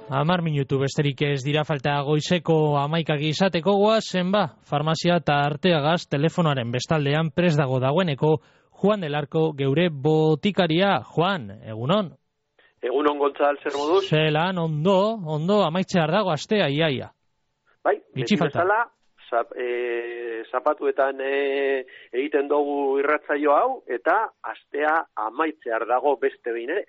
10 minutu besterik ez dira falta goizeko 11 izateko goazen farmazia eta Arteagaz telefonoaren bestaldean prest dagoeneko Juan del Arco geure botikaria. Juan, egunon? Egunon Gontzal, zer moduz? Zelan, ondo, amaitzear dago astea, iaia. Bai, beti bezala, zapatuetan egiten dugu irratzaio hau, eta astea amaitzear dago beste behin ere.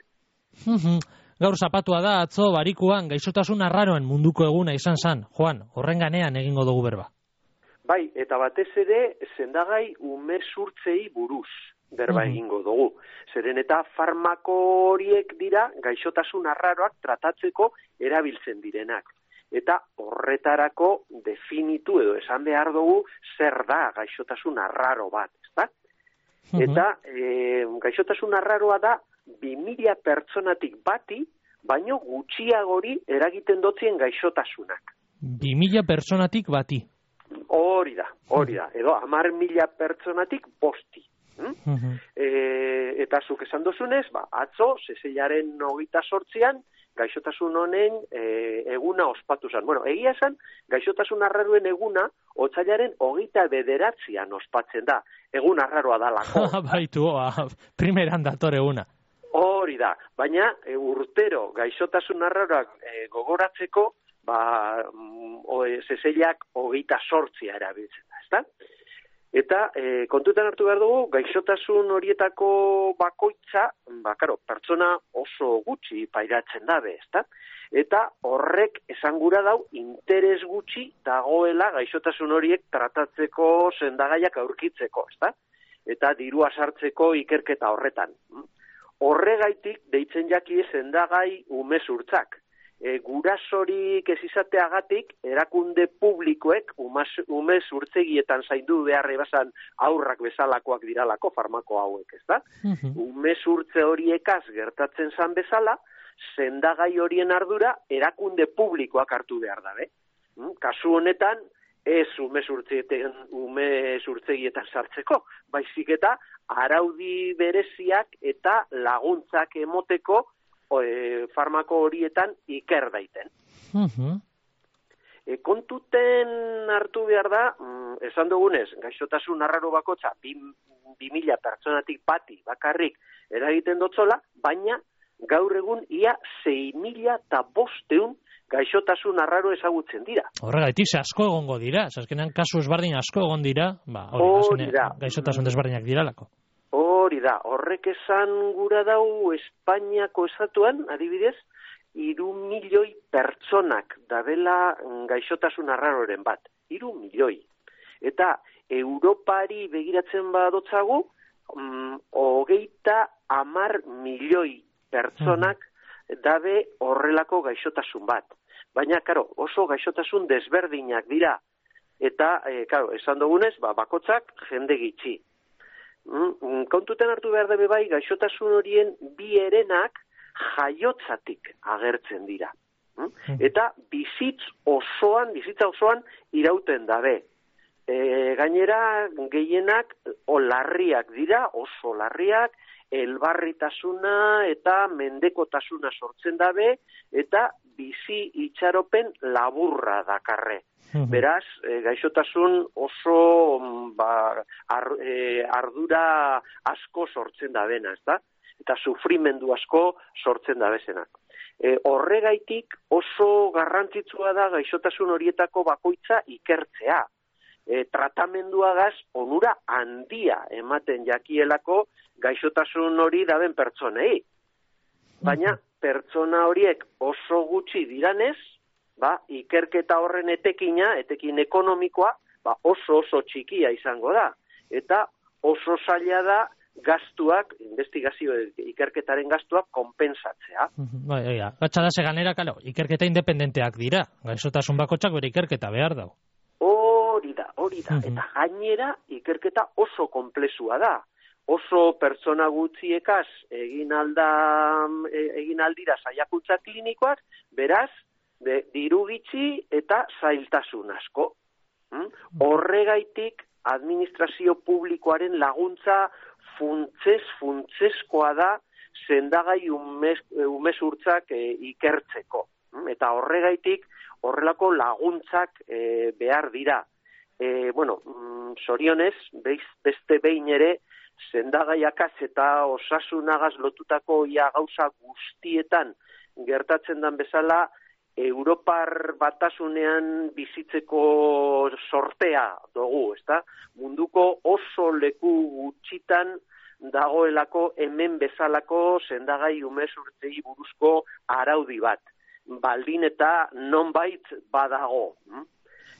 Gaur zapatua da, atzo barikuan gaixotasun arraroen munduko eguna izan zan. Juan, horren ganean egingo dugu berba. Bai, eta batez ere, sendagai umezurtzei buruz berba egingo dugu. Zeren eta farmako horiek dira gaixotasun arraroak tratatzeko erabiltzen direnak. Eta horretarako definitu edo esan behar dugu zer da gaixotasun arraro bat, ezta? Eta gaixotasun arraroa da 2000 pertsonatik bati, baino gutxiagori eragiten dotzien gaixotasunak. 2000 pertsonatik bati? Hori da. Edo 10.000 pertsonatik bosti. Eta zuk esan dozunez, atzo, seseilaren 28an, gaixotasun honen eguna ospatu zen. Bueno, egia esan, gaixotasun arraroen eguna, otsailaren 29an ospatzen da. Egun arraroa da lako. Baitu, primeran dator eguna. Hori da, baina urtero gaixotasun arraroak gogoratzeko, seseilak 28 erabiltzen da, ezta? Eta kontutan hartu behar dugu, gaixotasun horietako bakoitza, pertsona oso gutxi pairatzen dabe, ezta? Eta horrek esangura dau interes gutxi dagoela gaixotasun horiek tratatzeko sendagaiak aurkitzeko, ezta? Eta dirua sartzeko ikerketa horretan. Horregaitik deitzen jaki sendagai umezurtzak. Gurasorik ez izateagatik erakunde publikoek umezurtzegietan zaindu beharre bazan aurrak bezalakoak diralako farmako hauek, ezta? Umezurtze horiekaz gertatzen zan bezala, sendagai horien ardura erakunde publikoak hartu behar dabe. Kasu honetan, ez umezurtzegietan sartzeko, baizik eta araudi bereziak eta laguntzak emoteko farmako horietan iker daiten. Kontuten hartu behar da, esan dugunez, gaixotasun arraro bakotza 2000 pertsonatik bati bakarrik eragiten dotzola, baina gaur egun ia 6.500 gaixotasun arraro ezagutzen dira. Horregaitik, asko egongo dira, azkenean kasu ezberdin asko egon dira, gaixotasun desberdinak diralako. Hori da, horrek esan gura dau Espainiako estatuan, adibidez, 3 milioi pertsonak dabela gaixotasun arraroren bat. 3 milioi. Eta Europari begiratzen badotzagu, 30 milioi pertsonak dabe horrelako gaixotasun bat. Baina, oso gaixotasun desberdinak dira. Eta, esan dugunez, bakotzak jende gitxi. Kontuten hartu behar dabe bai, gaixotasun horien bi herenak jaiotzatik agertzen dira. Eta bizitza osoan irauten dabe. Gainera, gehienak larriak dira, oso larriak, elbarritasuna eta mendekotasuna sortzen dabe, eta bizi itxaropen laburra dakarre. Beraz, gaixotasun oso ardura asko sortzen dabena, ezta? Eta sufrimendu asko sortzen dabezenak. Horregaitik oso garrantzitsua da gaixotasun horietako bakoitza ikertzea. Tratamenduagaz onura handia ematen jakielako gaixotasun hori daben pertsonei. Baina pertsona horiek oso gutxi diranez, ikerketa horren etekin ekonomikoa, oso txikia izango da. Eta oso zaila da gastuak, investigazio ikerketaren gastuak konpensatzea. Gatsa da seganera, ikerketa independenteak dira. Gaixotasun bakotxak bere ikerketa behar dau. Hori da. Eta gainera ikerketa oso konplexua da. Oso pertsona gutxiekaz egin aldira saiakuntza klinikoak, beraz, diru gitxi eta zailtasun asko. Horregaitik administrazio publikoaren laguntza funtsezkoa da sendagai umezurtzak ikertzeko. Eta horregaitik horrelako laguntzak behar dira. Zorionez, beste behin ere, sendagaiakaz eta osasunagaz lotutako gauza guztietan gertatzen den bezala, Europar batasunean bizitzeko sortea dugu, ezta? Munduko oso leku gutxitan dagoelako hemen bezalako sendagai umezurtzei buruzko araudi bat. Baldin eta nonbait badago.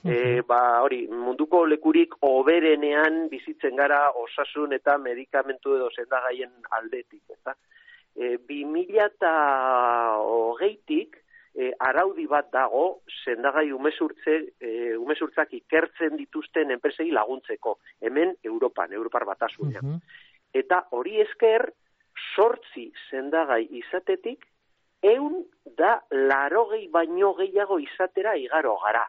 Munduko lekurik oberenean bizitzen gara osasun eta medikamentu edo sendagaien aldetik, ezta? 2020tik araudi bat dago sendagai umezurtzak ikertzen dituzten enpresei laguntzeko, hemen Europar batasunean. Eta hori esker, 8 sendagai izatetik, 180 baino gehiago izatera igaro gara.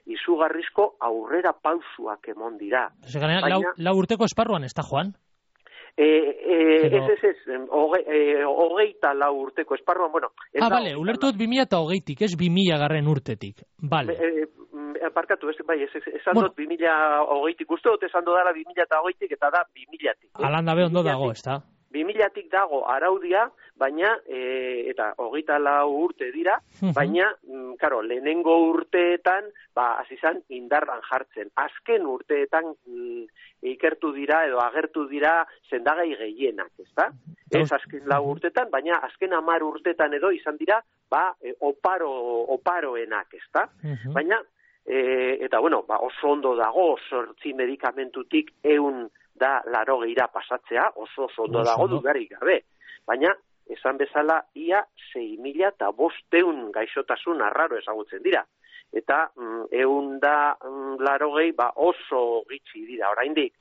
Izugarrizko aurrera pausuak emon dira. Lau urteko esparruan, ez da, Juan? Hogeita lau urteko esparruan, bale, ulertu 2020tik, ez 2000 urtetik. Bale. Barkatu, esan dut 2020tik, uste dut esan dut dara 2020tik eta da 2000tik. Alanda be ondo dago, ez da? 2000tik dago araudia, baina, eta 24 urte dira, baina, lehenengo urteetan, azizan indarran jartzen. Azken urteetan ikertu dira edo agertu dira sendagai gehienak, ezta? Ez azken 4 urteetan, baina azken 10 urteetan edo izan dira, oparoenak, ezta? Baina, oso ondo dago, 8 medikamentutik 180 pasatzea, oso ondo dago dudarik gabe. Baina, esan bezala, ia 6.500 gaixotasun arraro ezagutzen dira. Eta 180 oso gitxi dira, oraindik.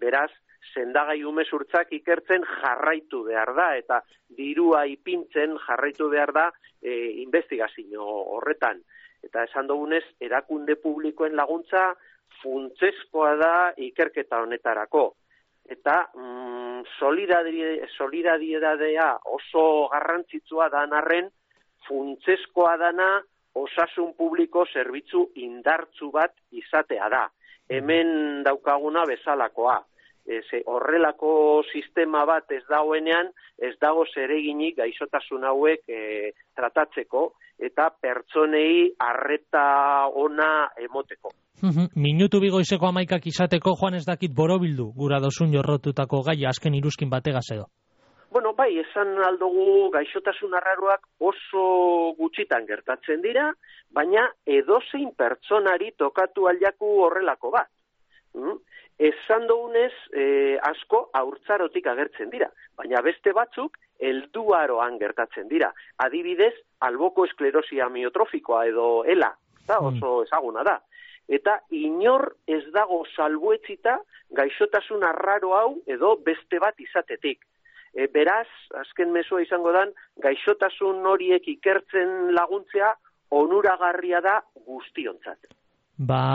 Beraz, sendagai umezurtzak ikertzen jarraitu behar da, eta dirua ipintzen jarraitu behar da investigazio horretan. Eta esan dugunez, erakunde publikoen laguntza funtsezkoa da ikerketa honetarako. Eta solidaridadea oso garrantzitsua dan arren, funtsezkoa dana osasun publiko zerbitzu indartzu bat izatea da. Hemen daukaguna bezalakoa. Horrelako sistema bat ez dagoenean, ez dago zereginik gaixotasun hauek tratatzeko eta pertsonei arreta ona emoteko. Minutu bigoizeko 11ak izateko, Juan, ez dakit borobildu gura dozun jorrotutako gaia azken iruzkin bategaz edo. Bai, esan aldugu gaixotasun arraroak oso gutxitan gertatzen dira, baina edozein pertsonari tokatu aldiaku horrelako bat. Esan dugunez, asko haurtzarotik agertzen dira, baina beste batzuk helduaroan gertatzen dira. Adibidez, alboko esklerosia amiotrofikoa edo ELA, oso ezaguna da. Eta inor ez dago salbuetzita gaixotasun arraro hau edo beste bat izatetik. Beraz, azken mezua izango dan, gaixotasun horiek ikertzen laguntzea onuragarria da guztiontzat.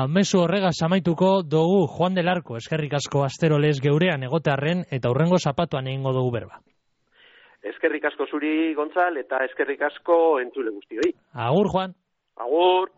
Mezu horregaz amaituko dugu Juan del Arco, eskerrik asko asterolez geurean egotearren eta hurrengo zapatuan egingo dugu berba. Eskerrik asko zuri, Gontzal, eta eskerrik asko entzule guztioi. Agur, Juan. Agur.